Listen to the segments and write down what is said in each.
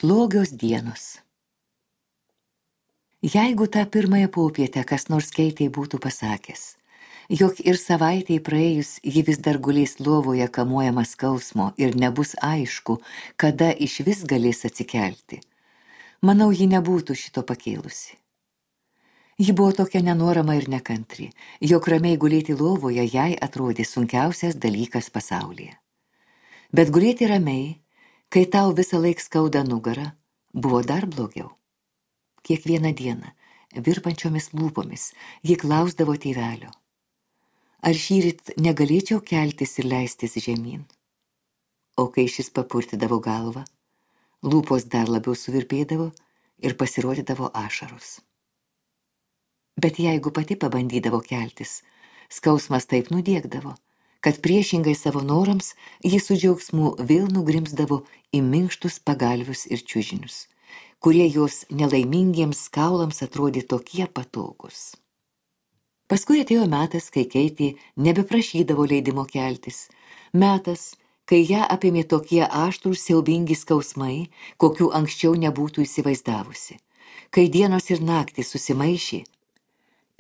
Slogios dienos. Jeigu tą pirmąją popietę kas nors Keitei būtų pasakęs, jog ir savaitei praėjus ji vis dar gulės lovoje kamuojama skausmo ir nebus aišku, kada išvis galės atsikelti, manau, ji nebūtų šito pakėlusi. Ji buvo tokia nenorama ir nekantri, jog ramiai gulėti lovoje jai atrodė sunkiausias dalykas pasaulyje. Bet gulėti ramiai, kai tau visą laik skauda nugarą, buvo dar blogiau. Kiekvieną dieną, virpančiomis lūpomis, ji klausdavo tėvelio. Ar šįryt negalėčiau keltis ir leistis žemyn? O kai šis papurtydavo galvą, lūpos dar labiau suvirpėdavo ir pasirodydavo ašaros. Bet jeigu pati pabandydavo keltis, skausmas taip nudiegdavo, kad priešingai savo norams ji su džiaugsmu vėl nugrimsdavo į minkštus pagalvius ir čiužinius, kurie jos nelaimingiems kaulams atrodė tokie patogus. Paskui atėjo metas, kai Keitė nebeprašydavo leidimo keltis, metas, kai ją apėmė tokie aštrūs siaubingi skausmai, kokių anksčiau nebūtų įsivaizdavusi, kai dienos ir naktys susimaišė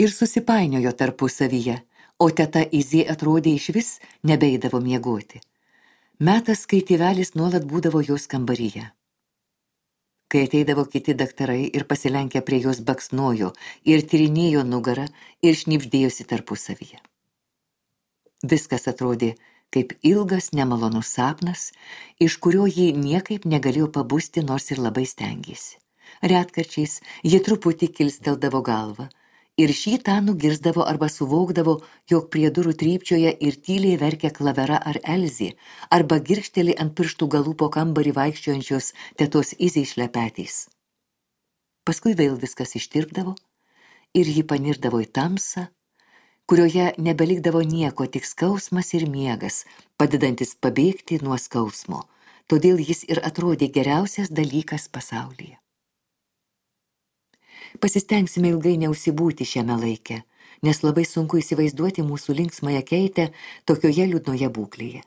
ir susipainiojo tarpusavyje, o teta Izė atrodė išvis nebeidavo miegoti. Metas, kai tėvelis nuolat būdavo jos kambaryje. Kai ateidavo kiti daktarai ir pasilenkę prie jos baksnojo ir tyrinėjo nugarą ir šnibždėjosi tarpusavyje. Viskas atrodė kaip ilgas nemalonus sapnas, iš kurio ji niekaip negalėjo pabusti, nors ir labai stengėsi. Retkarčiais ji truputį kilsteldavo galvą, ir šį tą nugirsdavo arba suvokdavo, jog prie durų trypčioja ir tyliai verkia Klavera ar Elzė, arba girkšteli ant pirštų galų po kambarį vaikščiojančios tetos Izės šlepetės. Paskui vėl viskas ištirpdavo ir ji panirdavo į tamsą, kurioje nebelikdavo nieko, tik skausmas ir miegas, padedantis pabėgti nuo skausmo, todėl jis ir atrodė geriausias dalykas pasaulyje. Pasistengsime ilgai neužsibūti šiame laike, nes labai sunku įsivaizduoti mūsų linksmąją Keitę tokioje liūdnoje būklėje.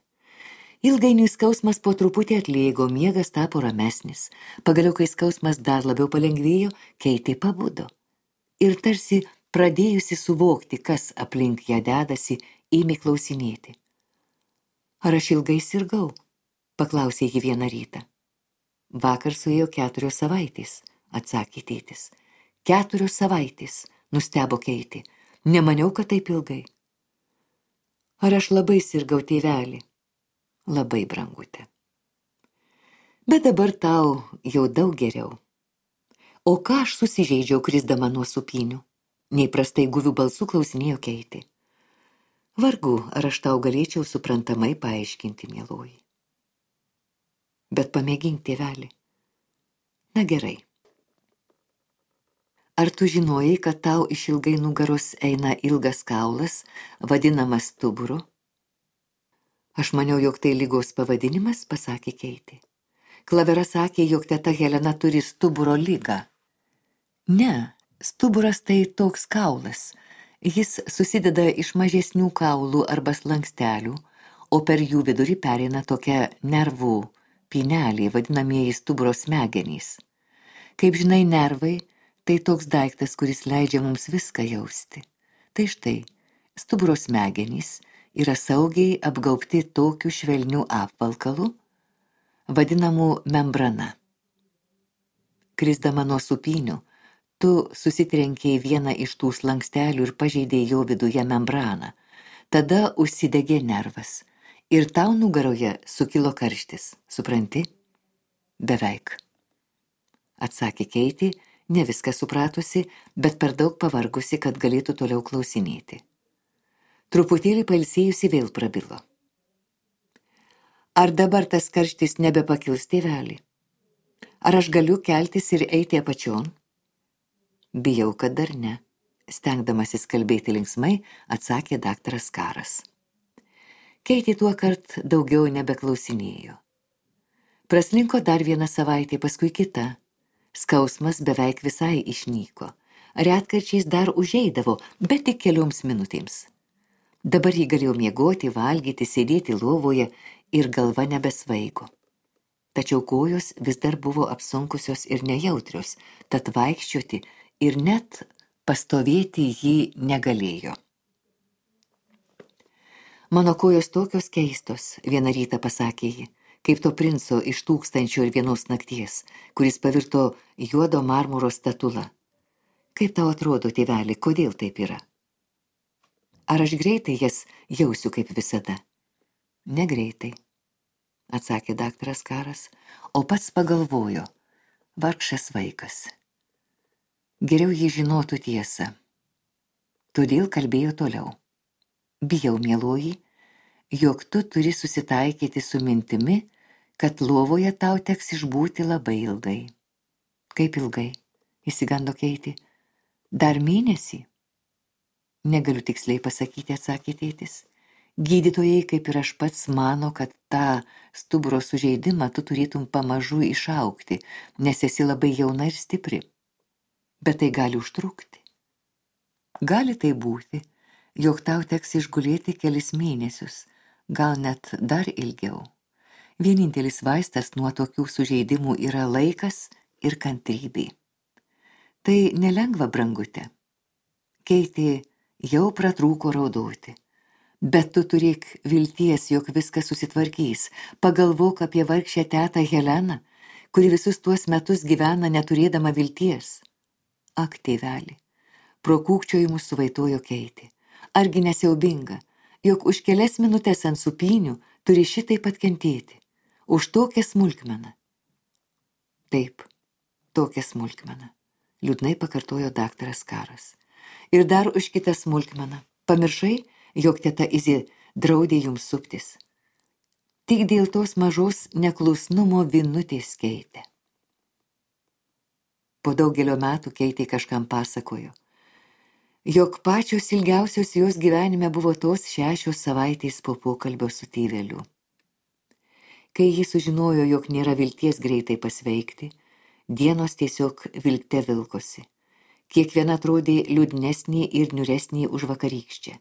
Ilgainiui skausmas po truputį atlėgo, miegas tapo ramesnis. Pagaliau, kai skausmas dar labiau palengvėjo, Keitė pabudo. Ir tarsi pradėjusi suvokti, kas aplink ją dedasi, ėmė klausinėti. Ar aš ilgai sirgau? Paklausė ji vieną rytą. Vakar suėjo 4 savaitės, atsakė tėtis. 4 savaitės, nustebo Keitė. Nemaniau, kad taip ilgai. Ar aš labai sirgau, tėvelį? Labai, brangutė. Bet dabar tau jau daug geriau. O ką aš susižeidžiau, krisdama nuo supynių? Neįprastai guvių balsų klausinėjo Keitė. Vargu, ar aš tau galėčiau suprantamai paaiškinti, mieloji. Bet pamėgink, tėvelį. Na gerai. Ar tu žinojai, kad tau iš ilgai nugaros eina ilgas kaulas, vadinamas stuburu? Aš maniau, jog tai ligos pavadinimas, pasakė Keitė. Klavera sakė, jog teta Helena turi stuburo ligą. Ne, stuburas tai toks kaulas. Jis susideda iš mažesnių kaulų arba slankstelių, o per jų vidurį pereina tokia nervų pynelė, vadinamieji stuburo smegenys. Kaip žinai, nervai tai toks daiktas, kuris leidžia mums viską jausti. Tai štai, stuburo smegenys yra saugiai apgaubti tokiu švelniu apvalkalu, vadinamu membrana. Krisdama nuo supynių, tu susitrenkei vieną iš tų slankstelių ir pažeidei jo viduje membraną. Tada užsidegė nervas ir tau nugaroje sukilo karštis, supranti? Beveik. Atsakė Keitė, ne viską supratusi, bet per daug pavargusi, kad galėtų toliau klausinėti. Truputėlį pailsėjusi vėl prabilo. Ar dabar tas karštis nebepakils, tėvelį? Ar aš galiu keltis ir eiti apačion? Bijau, kad dar ne, stengdamasis kalbėti linksmai, atsakė daktaras Karas. Keitė tuokart daugiau nebeklausinėjo. Praslinko dar 1 savaitė, paskui kita. Skausmas beveik visai išnyko. Retkarčiais dar užeidavo, bet tik kelioms minutėms. Dabar jį galėjo miegoti, valgyti, sėdėti lovoje ir galva nebesvaigo. tačiau kojos vis dar buvo apsunkusios ir nejautrios, tad vaikščioti ir net pastovėti ji negalėjo. Mano kojos tokios keistos, vieną rytą pasakė ji, kaip to princo iš 1001 nakties, kuris pavirto juodo marmuro statula. Kaip tau atrodo, tėveli, kodėl taip yra? Ar aš greitai jas jausiu kaip visada? Negreitai, atsakė daktaras Karas, o pats pagalvojo, vargšas vaikas. Geriau jį žinotų tiesą. Todėl kalbėjo toliau. Bijau, mieloji, jog tu turi susitaikyti su mintimi, kad lovoje tau teks išbūti labai ilgai. Kaip ilgai? Įsigando Keitė. Dar mėnesį? Negaliu tiksliai pasakyti, atsakė tėtis. Gydytojai, kaip ir aš pats, mano, kad tą stuburo sužeidimą tu turėtum pamažu išaugti, nes esi labai jauna ir stipri. Bet tai gali užtrukti. Gali tai būti, jog tau teks išgulėti kelis mėnesius, gal net dar ilgiau. Vienintelis vaistas nuo tokių sužeidimų yra laikas ir kantrybė. Tai nelengva, brangutė. Keitė jau pratrūko raudoti. Bet tu turėk vilties, jog viskas susitvarkys. Pagalvok apie vargšę tetą Heleną, kuri visus tuos metus gyvena neturėdama vilties. Ak, tėveli, pro kūkčiojimus suvaitojo Keitė. Argi nesiaubinga, jog už kelias minutės ant supynių turi šitaip atkentėti. Už tokią smulkmeną. Taip, tokią smulkmeną, liūdnai pakartojo daktaras Karas. Ir dar už kitą smulkmeną. Pamiršai, jog teta Izė draudė jums suptis. Tik dėl tos mažos neklusnumo vinutės Keitė. Po daugelio metų Keitė kažkam pasakojo, jog pačios ilgiausios jos gyvenime buvo tos 6 savaitės po pokalbio su tėveliu. Kai ji sužinojo, jog nėra vilties greitai pasveikti, dienos tiesiog vilkte vilkosi. Kiekviena atrodė liūdnesnė ir niūresnė už vakarykščią.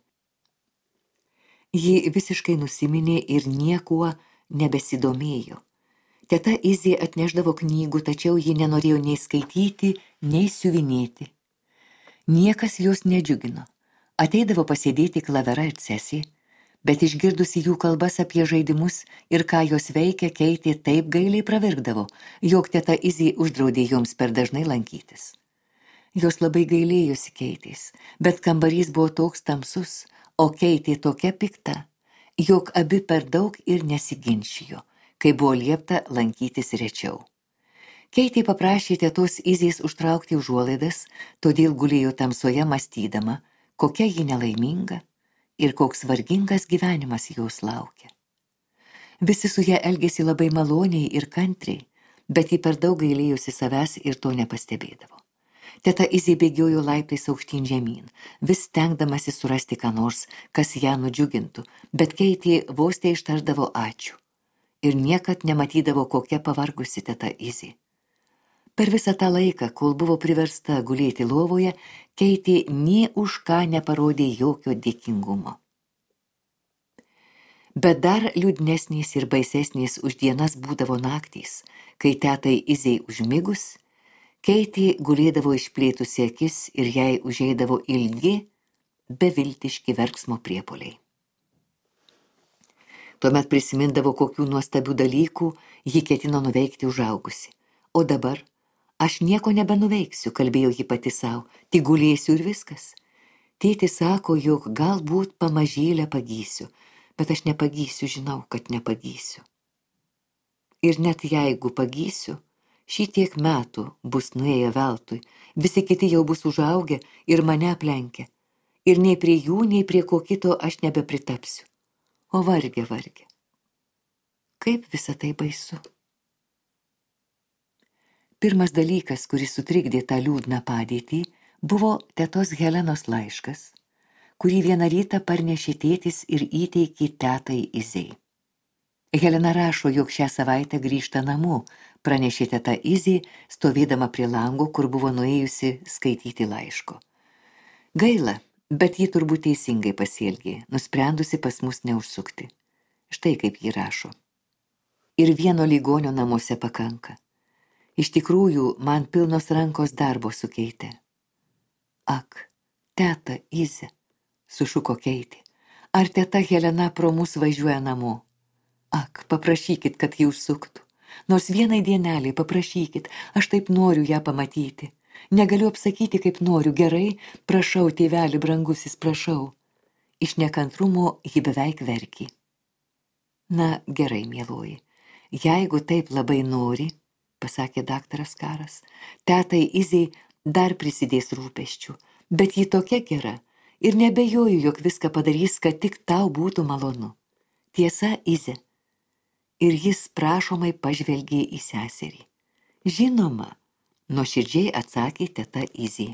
Ji visiškai nusiminė ir niekuo nebesidomėjo. Teta Izė atnešdavo knygų, tačiau ji nenorėjo nei skaityti, nei siuvinėti. Niekas jos nedžiugino. Ateidavo pasėdėti Klavera ir Cesė, bet išgirdusi jų kalbas apie žaidimus ir ką jos veikia, Keitė taip gailiai pravirkdavo, jog teta Izė uždraudė joms per dažnai lankytis. Jos labai gailėjosi Keitės, bet kambarys buvo toks tamsus, o Keitė tokia pikta, jog abi per daug ir nesiginčijo, kai buvo liepta lankytis rečiau. Keitė paprašė tetos Izės užtraukti užuolaidas, todėl gulėjo tamsoje mąstydama, kokia ji nelaiminga ir koks vargingas gyvenimas jos laukia. Visi su ja elgėsi labai maloniai ir kantriai, bet ji per daug gailėjosi savęs ir to nepastebėdavo. Teta Izė bėgiojo laiptais aukštyn žemyn, vis stengdamasi surasti ką nors, kas ją nudžiugintų, bet Keitė vos teištardavo ačiū ir niekad nematydavo, kokia pavargusi teta Izė. Per visą tą laiką, kol buvo priversta gulėti lovoje, Keitė nė už ką neparodė jokio dėkingumo. Bet dar liūdnesnės ir baisesnės už dienas būdavo naktys, kai tetai Izei užmigus, Keitė gulėdavo išplėtusi akis ir jai užeidavo ilgi, beviltiški verksmo priepuoliai. Tuomet prisimindavo, kokių nuostabių dalykų ji ketino nuveikti užaugusi. O dabar aš nieko nebenuveiksiu, kalbėjo ji pati savo, tik gulėsiu ir viskas. Tėtis sako, jog galbūt pamažėlę pagysiu, bet aš nepagysiu, žinau, kad nepagysiu. Ir net jeigu pagysiu, šitiek metų bus nuėję veltui, visi kiti jau bus užaugę ir mane aplenkę. Ir nei prie jų, nei prie ko kito aš nebepritapsiu. O varge, varge. Kaip visa tai baisu. Pirmas dalykas, kuris sutrikdė tą liūdną padėtį, buvo tetos Helenos laiškas, kurį vieną rytą parnešė tėtis ir įteikė tetai Izei. Helena rašo, jog šią savaitę grįžta namo, pranešė teta Izė, stovėdama prie lango, kur buvo nuėjusi skaityti laiško. Gaila, bet ji turbūt teisingai pasielgė, nusprendusi pas mus neužsukti. Štai kaip ji rašo. ir vieno ligonio namuose pakanka. Iš tikrųjų, man pilnos rankos darbo su Keite. Ak, teta Ize, sušuko Keitė, ar teta Helena pro mus važiuoja namo? Ak, paprašykit, kad ji užsuktų. Nors vienai dienelį paprašykit, aš taip noriu ją pamatyti. Negaliu apsakyti, kaip noriu, gerai, prašau, tėveli brangusis, prašau. Iš nekantrumo ji beveik verkė. Na, gerai, mieloji, jeigu taip labai nori, pasakė daktaras Karas, tetai Izei dar prisidės rūpesčių, bet ji tokia gera ir nebejoju, jog viską padarys, kad tik tau būtų malonu. Tiesa, Ize. Ir jis prašomai pažvelgė į seserį. Žinoma, nuoširdžiai atsakė teta Izė.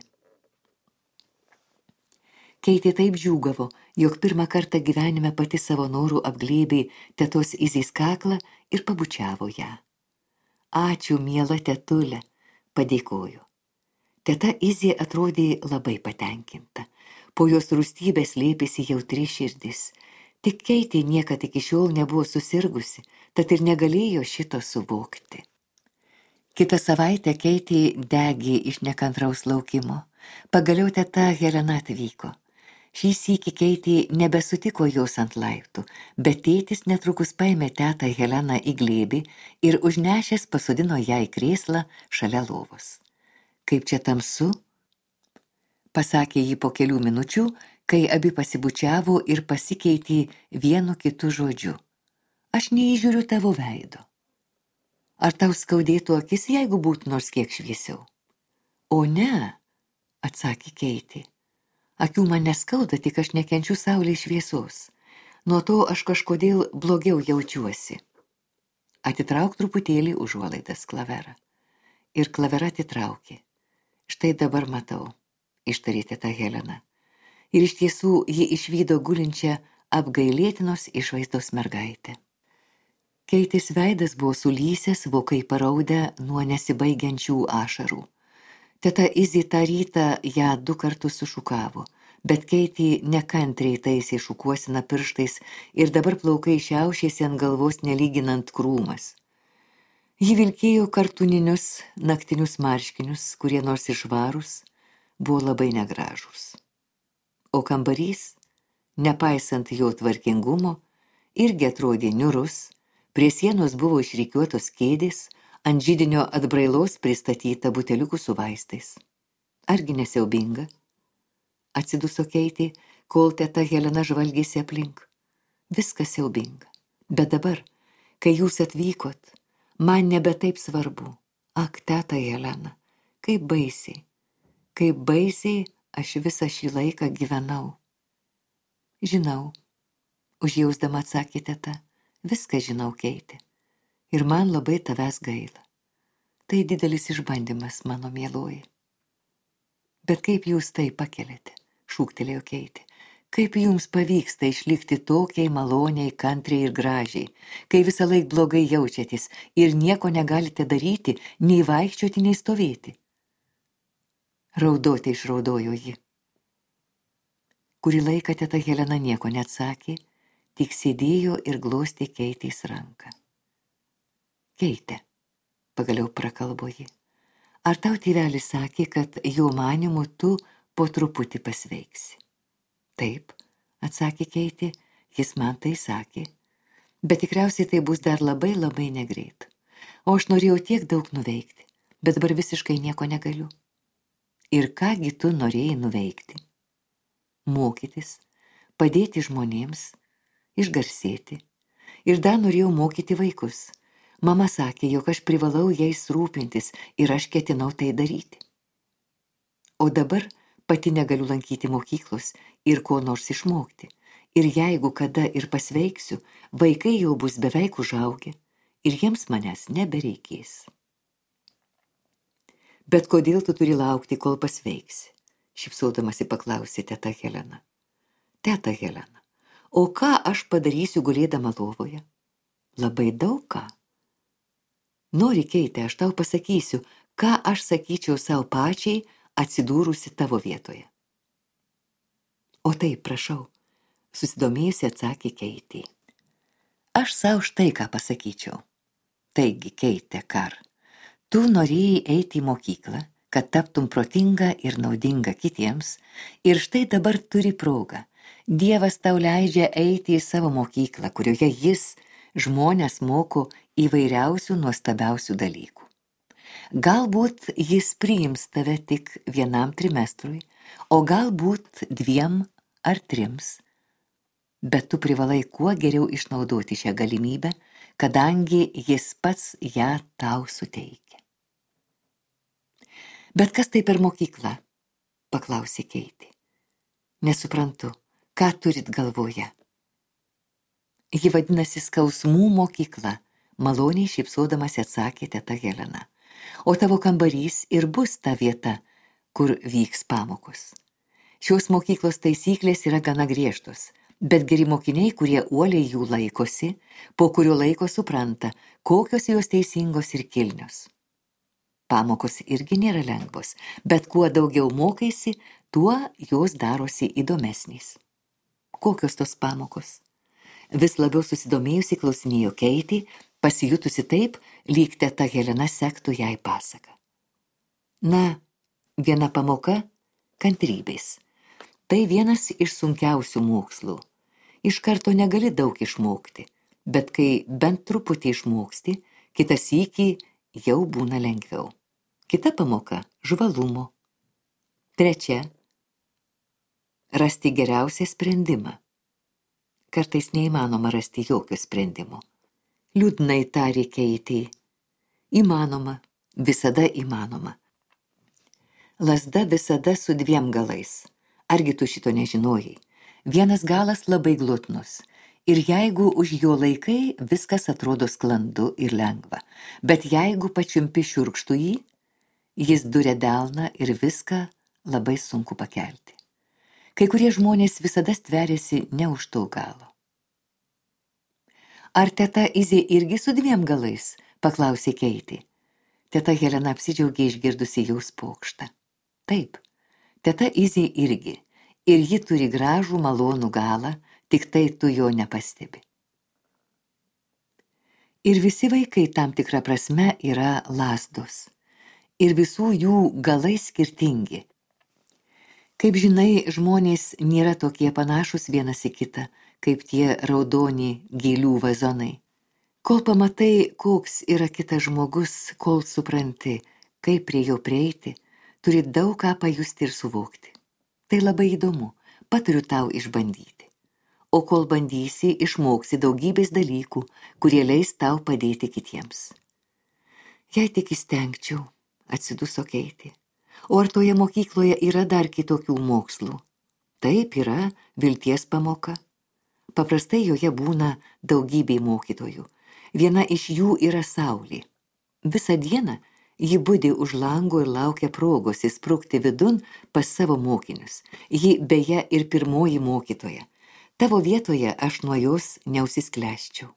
Keitė taip džiūgavo, jog pirmą kartą gyvenime pati savo norų apglėbė tetos Izės kaklą ir pabučiavo ją. Ačiū, miela tetulė, padėkoju. Teta Izė atrodė labai patenkinta. Po jos rūstybės slėpėsi jautri širdis. Tik Keitė niekad iki šiol nebuvo susirgusi, tad ir negalėjo šito suvokti. Kitą savaitę Keitė degė iš nekantraus laukimo. Pagaliau teta Helena atvyko. Šį sykį Keitė nebesutiko jos ant laiptų, bet tėtis netrukus paėmė tetą Heleną į glėbį ir užnešęs pasodino ją į krėslą šalia lovos. Kaip čia tamsu, pasakė ji po kelių minučių, kai abi pasibučiavo ir pasikeitė vienu kitu žodžiu. Aš neįžiūriu tavo veido. Ar tau skaudėtų akis, jeigu būtų nors kiek šviesiau? O ne, atsakė Keitė. Akių man neskauda, tik aš nekenčiu saulės šviesos. Nuo to aš kažkodėl blogiau jaučiuosi. Atitrauk truputėlį užuolaidas, Klavera. Ir Klavera atitraukė. Štai dabar matau, ištarė teta Helena. Ir iš tiesų ji išvydo gulinčią apgailėtinos išvaizdos mergaitę. Keitės veidas buvo sulysęs, vokai paraudę nuo nesibaigiančių ašarų. Teta Izė tą rytą ją 2 kartus sušukavo, bet Keitė nekantriai taisė šukuosiną pirštais ir dabar plaukai šiaušėsi ant galvos nelyginant krūmas. Ji vilkėjo kartuninius naktinius marškinius, kurie nors išvarūs, buvo labai negražūs. O kambarys, nepaisant jo tvarkingumo, irgi atrodė niurus, prie sienos buvo išrikiuotos kėdės, ant židinio atbrailos pristatyta buteliukų su vaistais. Argi nesiaubinga? Atsiduso Keitė, kol teta Helena žvalgėsi aplink. Viskas siaubinga. Bet dabar, kai jūs atvykot, man nebe taip svarbu. Ak, teta Helena, kaip baisiai aš visą šį laiką gyvenau. Žinau, užjausdama atsakė teta, viską žinau, Keitė. Ir man labai tavęs gaila. Tai didelis išbandymas, mano mieloji. Bet kaip jūs tai pakeliate, šūktelėjo Keitė. Kaip jums pavyksta išlikti tokiai maloniai, kantriai ir gražiai, kai visą laik blogai jaučiatės ir nieko negalite daryti, nei vaikščioti, nei stovėti. Raudoti išraudojo ji. Kurį laiką teta Helena nieko neatsakė, tik sėdėjo ir glostė Keitės ranką. Keite, pagaliau prakalbo ji, ar tau tėvelis sakė, kad jo manymu tu po truputį pasveiksi? Taip, atsakė Keitė, jis man tai sakė, bet tikriausiai tai bus dar labai negreit. O aš norėjau tiek daug nuveikti, bet dabar visiškai nieko negaliu. Ir kągi tu norėjai nuveikti? Mokytis, padėti žmonėms, išgarsėti. Ir dar norėjau mokyti vaikus. Mama sakė, jog aš privalau jais rūpintis ir aš ketinau tai daryti. O dabar pati negaliu lankyti mokyklos ir ko nors išmokti. Ir jeigu kada ir pasveiksiu, vaikai jau bus beveik užaugę ir jiems manęs nebereikės. Bet kodėl tu turi laukti, kol pasveiksi? Šypsodamasi paklausė teta Helena. Teta Helena, o ką aš padarysiu gulėdama lovoje? Labai daug ką. Nori, Keite, aš tau pasakysiu, ką aš sakyčiau savo pačiai, atsidūrusi tavo vietoje. O taip, prašau, susidomėjusi atsakė Keitė. Aš savo štai ką pasakyčiau. Taigi, Keitė Kar, tu norėjai eiti į mokyklą, kad taptum protinga ir naudinga kitiems, ir štai dabar turi progą. Dievas tau leidžia eiti į savo mokyklą, kurioje jis žmonės moko įvairiausių nuostabiausių dalykų. Galbūt jis priims tave tik vienam trimestrui, o galbūt 2 ar 3, bet tu privalai kuo geriau išnaudoti šią galimybę, kadangi jis pats ją tau suteikia. Bet kas tai per mokykla? Paklausė Keitė. Nesuprantu, ką turit galvoje? Ji vadinasi skausmų mokykla, maloniai šypsodamas atsakė teta Helena. O tavo kambarys ir bus ta vieta, kur vyks pamokos. Šios mokyklos taisyklės yra gana griežtos, bet geri mokiniai, kurie uoliai jų laikosi, po kurio laiko supranta, kokios jos teisingos ir kilnios. Pamokos irgi nėra lengvos, bet kuo daugiau mokaisi, tuo jos darosi įdomesnės. Kokios tos pamokos? Vis labiau susidomėjusi klausinėjo Keitė, pasijutusi taip, lyg teta Helena sektų jai pasaką. Na, viena pamoka – kantrybės. Tai vienas iš sunkiausių mokslų. Iš karto negali daug išmokti, bet kai bent truputį išmoksti, kitą sykį jau būna lengviau. Kita pamoka – žvalumo. 3 – rasti geriausią sprendimą. Kartais neįmanoma rasti jokio sprendimo. Liūdnai tarė Keitė. Įmanoma, visada įmanoma. Lazda visada su 2 galais. Argi tu šito nežinojai? Vienas galas labai glotnus. Ir jeigu už jo laikai, viskas atrodo sklandu ir lengva. Bet jeigu pačiumpi šiurkštų jį, jis duria delną ir viską labai sunku pakelti. Kai kurie žmonės visada stveriasi ne už to galo. Ar teta Izė irgi su 2 galais? Paklausė Keitė. Teta Helena apsidžiaugė išgirdusi jos pokštą. Taip, teta Izė irgi. Ir ji turi gražų malonų galą, tik tai tu jo nepastebi. Ir visi vaikai tam tikra prasme yra lazdos. Ir visų jų galai skirtingi. Kaip žinai, žmonės nėra tokie panašus vienas į kitą, kaip tie raudoni gėlių vazonai. Kol pamatai, koks yra kitas žmogus, kol supranti, kaip prie jo prieiti, turi daug ką pajusti ir suvokti. Tai labai įdomu, patariu tau išbandyti. O kol bandysi, išmoksi daugybės dalykų, kurie leis tau padėti kitiems. Jei tik įstengčiau, atsiduso Keitė. O ar toje mokykloje yra dar kitokių mokslų? Taip yra vilties pamoka. Paprastai joje būna daugybė mokytojų. Viena iš jų yra saulė. Visą dieną ji budi už lango ir laukia progos įsprukti vidun pas savo mokinius. Ji beje ir pirmoji mokytoja. Tavo vietoje aš nuo jos neužsisklęsčiau.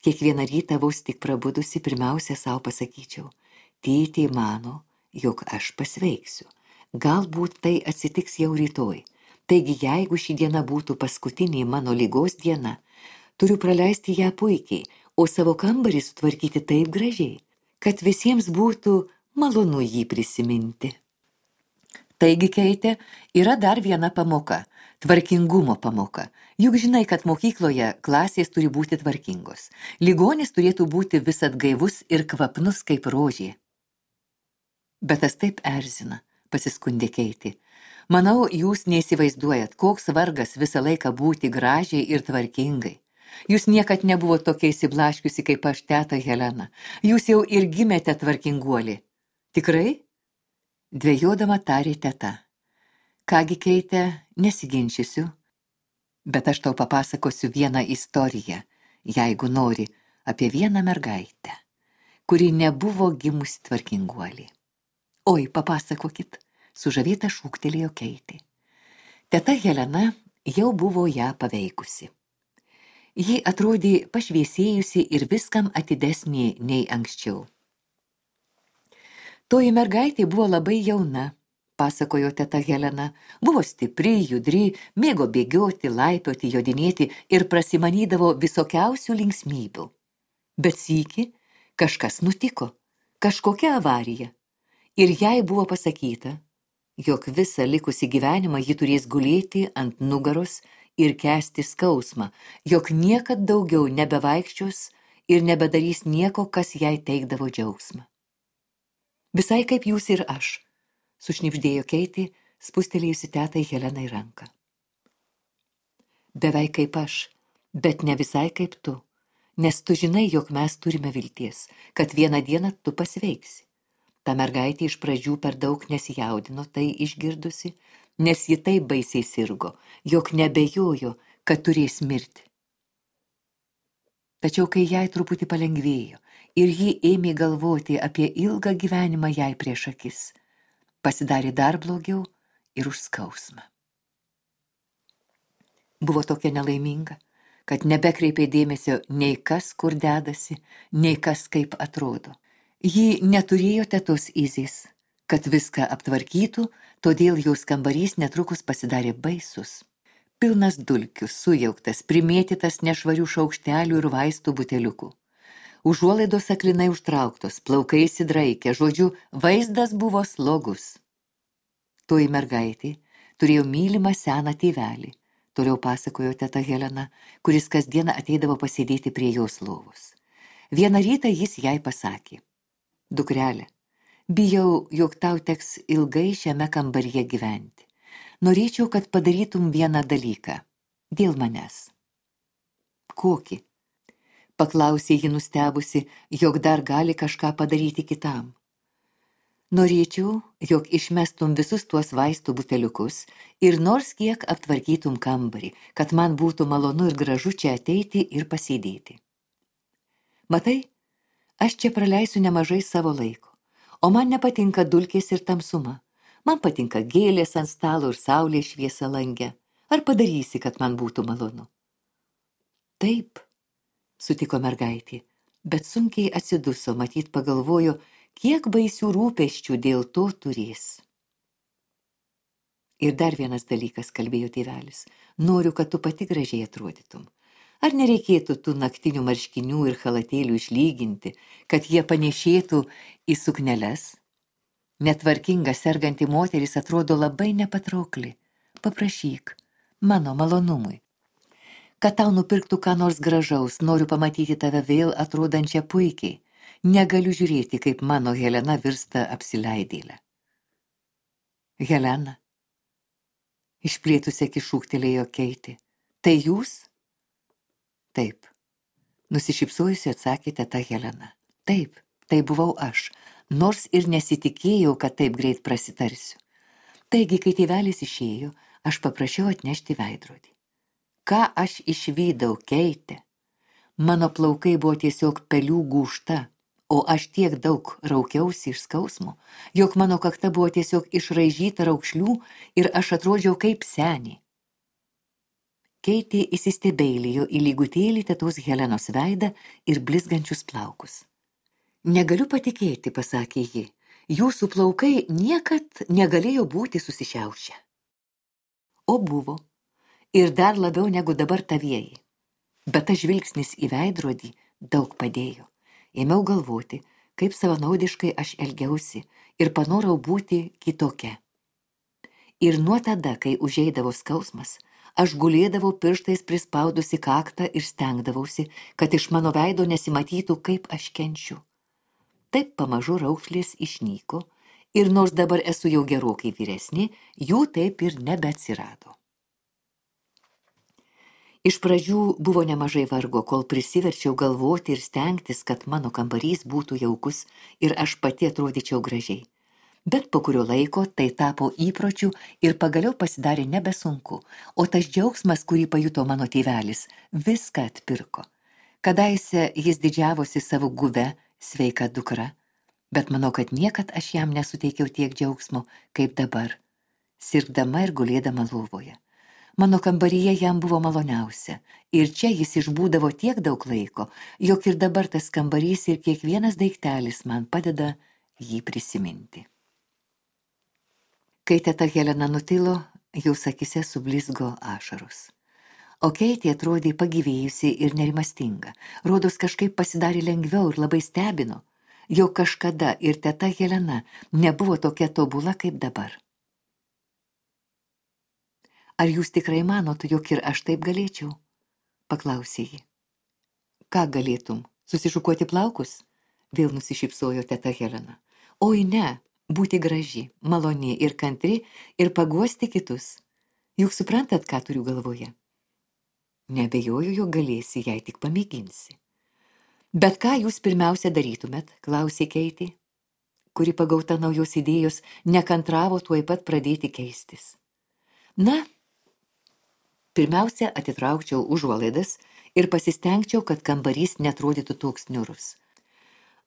Kiekvieną rytą vos tik prabudusi pirmiausia savo pasakyčiau, tėtė mano, jog aš pasveiksiu. Galbūt tai atsitiks jau rytoj. Taigi, jeigu ši diena būtų paskutinė mano ligos diena, turiu praleisti ją puikiai, o savo kambarį sutvarkyti taip gražiai, kad visiems būtų malonu jį prisiminti. Taigi, Keitė, yra dar viena pamoka – tvarkingumo pamoka. Juk žinai, kad mokykloje klasės turi būti tvarkingos. Ligonis turėtų būti visad gaivus ir kvapnus kaip rožė. Bet tas taip erzina, pasiskundė Keitė. Manau, jūs neįsivaizduojat, koks vargas visą laiką būti gražiai ir tvarkingai. Jūs niekad nebuvo tokia įsiblaškiusi kaip aš, teta Helena. Jūs jau ir gimėte tvarkinguolį. Tikrai? Dvejodama tarė teta. Kągi, Keitė, nesiginčysiu, bet aš tau papasakosiu vieną istoriją, jeigu nori, apie vieną mergaitę, kuri nebuvo gimusi tvarkinguolį. Oi, papasakokit, sužavėta šūktelėjo Keitė. Teta Helena jau buvo ją paveikusi. Ji atrodė pašviesėjusi ir viskam atidesnė nei anksčiau. Toji mergaitė buvo labai jauna, pasakojo teta Helena, buvo stipri, judri, mėgo bėgioti, laipioti, jodinėti ir prasimanydavo visokiausių linksmybių. Bet sykį kažkas nutiko, kažkokia avarija. Ir jai buvo pasakyta, jog visą likusį gyvenimą ji turės gulėti ant nugaros ir kęsti skausmą, jog niekad daugiau nebevaikščios ir nebedarys nieko, kas jai teikdavo džiaugsmą. Visai kaip jūs ir aš, sušnibždėjo Keitė, spustelėjusi tetai Helenai ranką. Beveik kaip aš, bet ne visai kaip tu, nes tu žinai, jog mes turime vilties, kad vieną dieną tu pasveiksi. Ta mergaitė iš pradžių per daug nesijaudino tai išgirdusi, nes ji taip baisiai sirgo, jog nebejojo, kad turės mirti. Tačiau kai jai truputį palengvėjo ir ji ėmė galvoti apie ilgą gyvenimą jai prieš akis, pasidarė dar blogiau ir už skausmą. Buvo tokia nelaiminga, kad nebekreipė dėmesio nei kas kur dedasi, nei kas kaip atrodo. Ji neturėjo tetos Izės, kad viską aptvarkytų, todėl jos kambarys netrukus pasidarė baisus. Pilnas dulkių, sujauktas, primėtytas nešvarių šaukštelių ir vaistų buteliukų. Užuolaidos aklinai užtrauktos, plaukai įsidraikę, žodžiu, vaizdas buvo slogus. Toji mergaitė turėjo mylimą seną tėvelį, toliau pasakojo teta Helena, kuris kasdieną ateidavo pasėdėti prie jos lovos. Vieną rytą jis jai pasakė: Dukrelė, bijau, jog tau teks ilgai šiame kambaryje gyventi. Norėčiau, kad padarytum vieną dalyką. Dėl manęs. Kokį? Paklausė ji nustebusi, jog dar gali kažką padaryti kitam. Norėčiau, jog išmestum visus tuos vaistų buteliukus ir nors kiek aptvarkytum kambarį, kad man būtų malonu ir gražu čia ateiti ir pasėdėti. Matai, aš čia praleisiu nemažai savo laiko, o man nepatinka dulkės ir tamsuma. Man patinka gėlės ant stalo ir saulės šviesa lange. Ar padarysi, kad man būtų malonu? Taip, sutiko mergaitė, bet sunkiai atsiduso, matyt pagalvojo, kiek baisių rūpesčių dėl to turės. Ir dar vienas dalykas, kalbėjo tėvelis, noriu, kad tu pati gražiai atrodytum. Ar nereikėtų tų naktinių marškinių ir chalatėlių išlyginti, kad jie panešėtų į sukneles? Netvarkinga serganti moteris atrodo labai nepatraukli. Paprašyk, mano malonumui. Kad tau nupirktų ką nors gražaus, noriu pamatyti tave vėl atrodančią puikiai. Negaliu žiūrėti, kaip mano Helena virsta apsileidėlę. Helena, išplėtusi akis šūktelėjo Keitė. Tai jūs? Taip, nusišypsojusi atsakė teta Helena. Taip, tai buvau aš, nors ir nesitikėjau, kad taip greit prasitarsiu. Taigi, kai tėvelis išėjo, aš paprašiau atnešti veidrodį. Ką aš išvydau, Keitė? Mano plaukai buvo tiesiog pelių gūžta, o aš tiek daug raukiausi iš skausmo, jog mano kakta buvo tiesiog išraižyta raukšlių ir aš atrodžiau kaip senė. Keitė įsistebeilijo į lygutėlį tetos Helenos veidą ir blizgančius plaukus. Negaliu patikėti, pasakė ji, jūsų plaukai niekad negalėjo būti susišiaušę. O buvo, ir dar labiau negu dabar tavieji. Bet tas žvilgsnis į veidrodį daug padėjo. Ėmiau galvoti, kaip savanaudiškai aš elgiausi ir panorau būti kitokia. Ir nuo tada, kai užeidavo skausmas, aš gulėdavau pirštais prispaudusi kaktą ir stengdavausi, kad iš mano veido nesimatytų, kaip aš kenčiu. Taip pamažu raukšlės išnyko ir nors dabar esu jau gerokai vyresnė, jų taip ir nebeatsirado. Iš pradžių buvo nemažai vargo, kol prisiverčiau galvoti ir stengtis, kad mano kambarys būtų jaukus ir aš pati atrodyčiau gražiai. Bet po kurio laiko tai tapo įpročiu ir pagaliau pasidarė nebesunku, o tas džiaugsmas, kurį pajuto mano tėvelis, viską atpirko. Kadaise jis didžiavosi savo guve, sveika dukra, bet manau, kad niekad aš jam nesuteikiau tiek džiaugsmo, kaip dabar, sirgdama ir gulėdama lovoje. Mano kambaryje jam buvo maloniausia, ir čia jis išbūdavo tiek daug laiko, jog ir dabar tas kambarys ir kiekvienas daiktelis man padeda jį prisiminti. Kai teta Helena nutilo, jos akyse sublizgo ašaros. O Keitė atrodė pagyvėjusi ir nerimastinga. Rodos kažkaip pasidarė lengviau ir labai stebino, jog kažkada ir teta Helena nebuvo tokia tobula kaip dabar. Ar jūs tikrai manote, jog ir aš taip galėčiau? Paklausė ji. Ką galėtum? Susišukuoti plaukus? Vėl nusišypsojo teta Helena. Oi ne, būti graži, maloni ir kantri ir paguosti kitus. Juk suprantat, ką turiu galvoje? Neabejoju, jog galėsi, jei tik pamėginsi. Bet ką jūs pirmiausia darytumėt, klausė Keitė, kuri pagauta naujos idėjos nekantravo tuoj pat pradėti keistis. Na, pirmiausia atitraukčiau užuolaidas ir pasistengčiau, kad kambarys netrodytų toks niurus.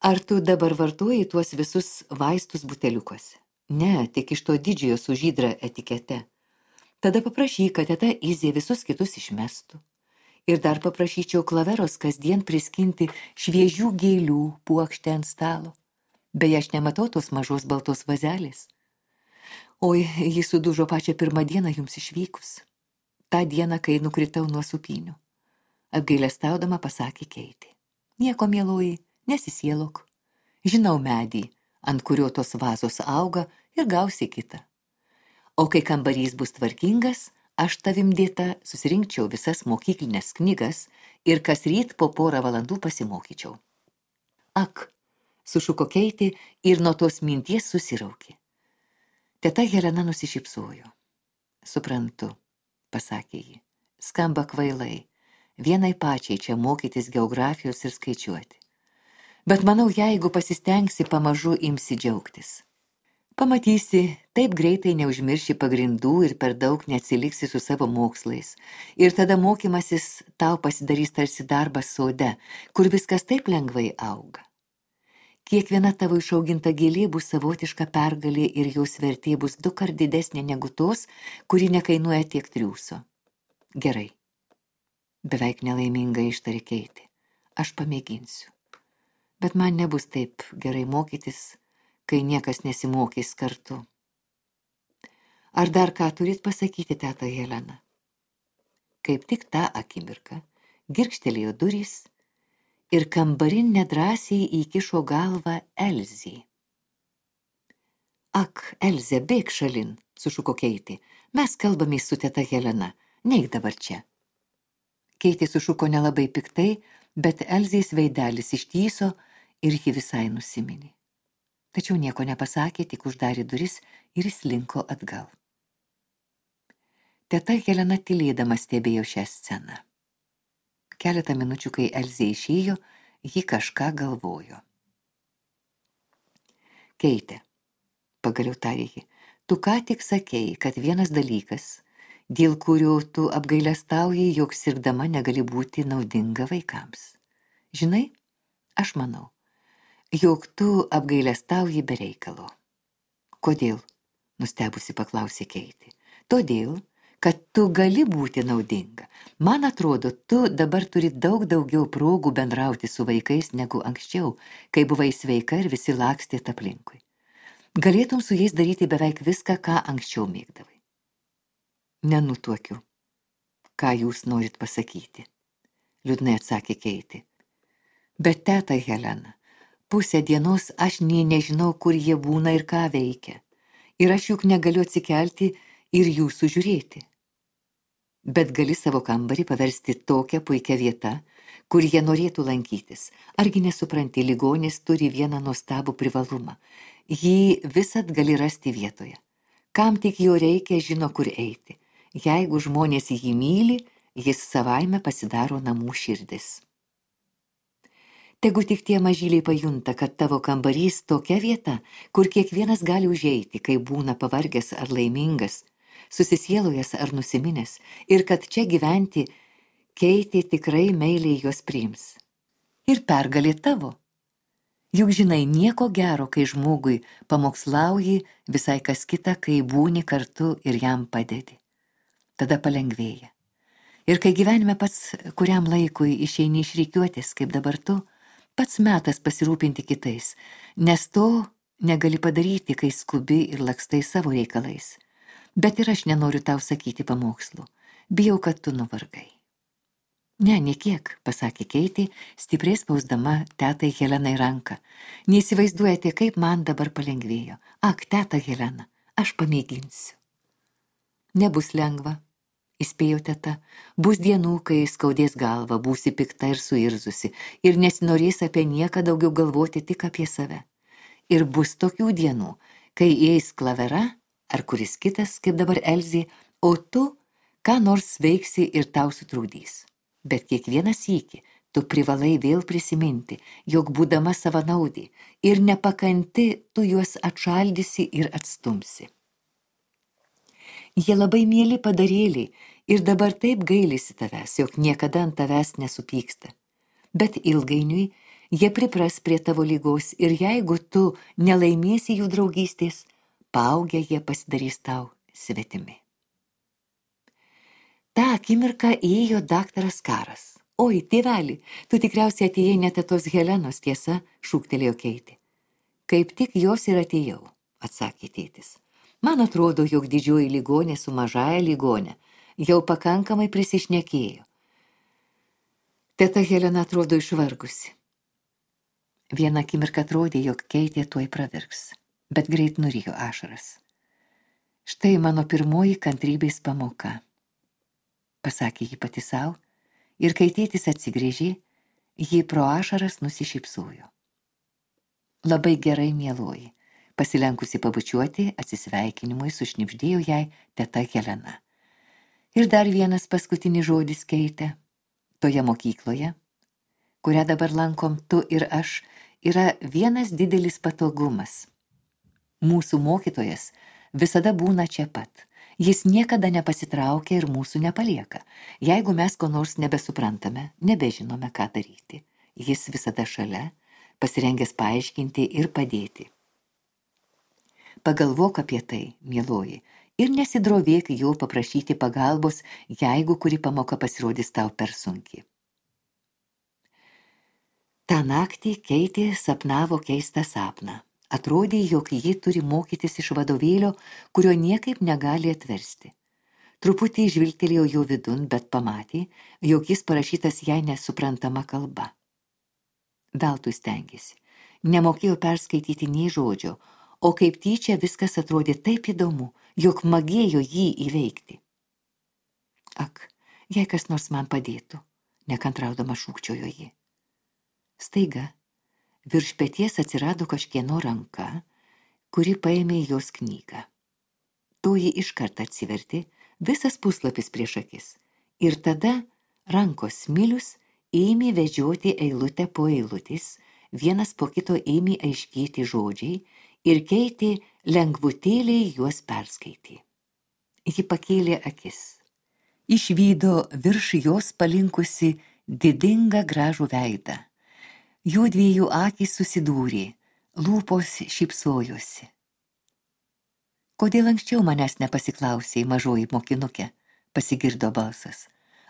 Ar tu dabar vartoji tuos visus vaistus buteliukuose? Ne, tik iš to didžiojo su žydra etikete. Tada paprašyk, kad teta Izė visus kitus išmestų. Ir dar paprašyčiau Klaveros kasdien priskinti šviežių gėlių puokštę ant stalo. Beje, aš nematau tos mažos baltos vazelės. Oi, jis sudužo pačią pirmą dieną jums išvykus. Ta diena, kai nukritau nuo supynių. Apgailestaudama pasakė Keitė. Nieko, mieloji, nesisielok. Žinau medį, ant kurio tos vazos auga ir gausi kitą. O kai kambarys bus tvarkingas, aš tavim dėta susirinkčiau visas mokyklinės knygas ir kas ryt po porą valandų pasimokyčiau. Ak, sušuko Keitė ir nuo tos minties susiraukė. Teta Helena nusišypsojo. Suprantu, pasakė ji, skamba kvailai, vienai pačiai čia mokytis geografijos ir skaičiuoti. Bet manau, jeigu pasistengsi, pamažu imsi džiaugtis. Pamatysi, taip greitai neužmirši pagrindų ir per daug neatsiliksi su savo mokslais. Ir tada mokymasis tau pasidarys tarsi darbas sode, kur viskas taip lengvai auga. Kiekviena tavo išauginta gėlė bus savotiška pergalė ir jos vertė bus 2 kart didesnė negu tos, kuri nekainuoja tiek triūso. Gerai. Beveik nelaimingai ištarė Keitė. Aš pamėginsiu. Bet man nebus taip gerai mokytis, kai niekas nesimokys kartu. Ar dar ką turit pasakyti, teta Helena? Kaip tik tą akimirką girgžtelėjo durys ir kambarin nedrąsiai įkišo galvą Elzė. Ak, Elzė, bėk šalin, sušuko Keitė. Mes kalbamės su teta Helena, neik dabar čia. Keitė sušuko nelabai piktai, bet Elzės veidelis ištyso ir ji visai nusiminė. Tačiau nieko nepasakė, tik uždarė duris ir įslinko atgal. Teta Helena tylėdama stebėjo šią sceną. Keletą minučių, kai Elzė išėjo, ji kažką galvojo. Keitė, pagaliau tarė ji, tu ką tik sakei, kad vienas dalykas, dėl kurio tu apgailestauji, jog sirgdama negali būti naudinga vaikams. Žinai, aš manau, jog tu apgailestauji be reikalo. Kodėl? Nustebusi paklausė Keitė. Todėl, kad tu gali būti naudinga. Man atrodo, tu dabar turi daug daugiau progų bendrauti su vaikais negu anksčiau, kai buvai sveika ir visi lakstėt aplinkui. Galėtum su jais daryti beveik viską, ką anksčiau mėgdavai. Nenutuokiu. Ką jūs norit pasakyti? Liūdnai atsakė Keitė. Bet teta Helena, pusę dienos aš nė nežinau, kur jie būna ir ką veikia. Ir aš juk negaliu atsikelti ir jų sužiūrėti. Bet gali savo kambarį paversti tokią puikią vietą, kur jie norėtų lankytis. Argi nesupranti, ligonis turi vieną nuostabų privalumą. Jį visad gali rasti vietoje. Kam tik jo reikia, žino, kur eiti. Jeigu žmonės jį myli, jis savaime pasidaro namų širdis. Tegu tik tie mažyliai pajunta, kad tavo kambarys tokia vieta, kur kiekvienas gali užeiti, kai būna pavargęs ar laimingas, susisielojęs ar nusiminęs, ir kad čia gyventi Keitė tikrai meiliai juos priims. Ir pergalė tavo. Juk žinai, nieko gero, kai žmogui pamokslauji, visai kas kita, kai būni kartu ir jam padedi. Tada palengvėja. Ir kai gyvenime pats kuriam laikui išeini iš rikiuotės, kaip dabar tu, pats metas pasirūpinti kitais, nes to negali padaryti, kai skubi ir lakstai savo reikalais. Bet ir aš nenoriu tau sakyti pamokslų. Bijau, kad tu nuvargai. Ne, niekiek, pasakė Keitė, stipriai spausdama tetai Helenai ranką. Neįsivaizduojate, kaip man dabar palengvėjo. Ak, teta Helena, aš pamėginsiu. Nebus lengva, įspėjo teta. Bus dienų, kai skaudės galva, būsi pikta ir suirzusi, ir nesinorės apie nieką daugiau galvoti, tik apie save. Ir bus tokių dienų, kai eis Klavera, ar kuris kitas, kaip dabar Elzė, o tu ką nors veiksi ir tau sutrūdys. Bet kiekvieną sykį tu privalai vėl prisiminti, jog būdama savanaudė ir nepakanti, tu juos atšaldysi ir atstumsi. Jie labai mieli padarėliai ir dabar taip gailisi tavęs, jog niekada ant tavęs nesupyksta. Bet ilgainiui jie pripras prie tavo lygos ir jeigu tu nelaimėsi jų draugystės, paaugę jie pasidarys tau svetimi. Ta akimirką įėjo daktaras Karas. Oi, tėveli, tu tikriausiai atėjai ne tetos Helenos, tiesa, šūktelėjo Keitė. Kaip tik jos ir atėjau, atsakė tėtis. Man atrodo, jog didžioji ligonė su mažaja ligonė jau pakankamai prisišnekėjo. Teta Helena atrodo išvargusi. Vieną akimirką atrodė, jog Keitė tuoj pravirks, bet greit nurijo ašaras. Štai mano pirmoji kantrybės pamoka, pasakė ji pati sau, ir kai tėtis atsigrėžė, ji pro ašaras nusišypsojo. Labai gerai, mieloji, pasilenkusi pabučiuoti, atsisveikinimui sušnibždėjo jai teta Helena. Ir dar vienas paskutinis žodis, Keite, toje mokykloje, kurią dabar lankom tu ir aš, yra vienas didelis patogumas. Mūsų mokytojas visada būna čia pat. Jis niekada nepasitraukia ir mūsų nepalieka. Jeigu mes ko nors nebesuprantame, nebežinome, ką daryti, jis visada šalia, pasirengęs paaiškinti ir padėti. Pagalvok apie tai, mieloji, ir nesidrovėk jo paprašyti pagalbos, jeigu kuri pamoka pasirodys tau per sunkiai. Ta naktį Keitė sapnavo keistą sapną. Atrodė, jog ji turi mokytis iš vadovėlio, kurio niekaip negali atversti. Truputį žvilgtelėjo jo vidun, bet pamatė, jog jis parašytas jai nesuprantama kalba. Veltui stengėsi. Nemokėjo perskaityti nei žodžio, o kaip tyčia viskas atrodė taip įdomu, jog magėjo jį įveikti. Ak, jei kas nors man padėtų, nekantraudama šūkčiojo ji. Staiga virš peties atsirado kažkieno ranka, kuri paėmė jos knygą. Toji iškart atsivertė, visas puslapis prieš akis, ir tada rankos smilius ėmė vedžioti eilutę po eilutės, vienas po kito ėmė aiškėti žodžiai ir Keitė lengvutėliai juos perskaitė. Ji pakėlė akis. Išvydo virš jos palinkusi didingą gražų veidą. Jų dviejų akys susidūrė, lūpos šypsojosi. Kodėl anksčiau manęs nepasiklausei, mažoji mokinukė, pasigirdo balsas.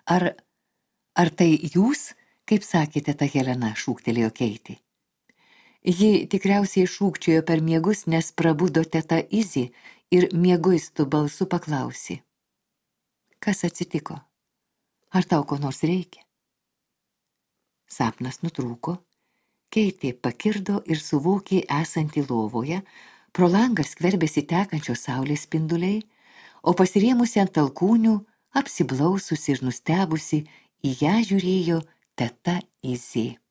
Ar tai jūs, kaip sakėte, ta Helena, šūktelėjo Keitė. Ji tikriausiai šūkčiojo per miegus, nes prabudo teta Izzy ir mieguistų balsu paklausė. Kas atsitiko? Ar tau ko nors reikia? Sapnas nutrūko. Keitė pakirdo ir suvokė esantį lovoje, pro langą skverbėsi tekančios saulės spinduliai, o pasirėmusi ant alkūnių, apsiblaususi ir nustebusi, į ją žiūrėjo teta Izzy.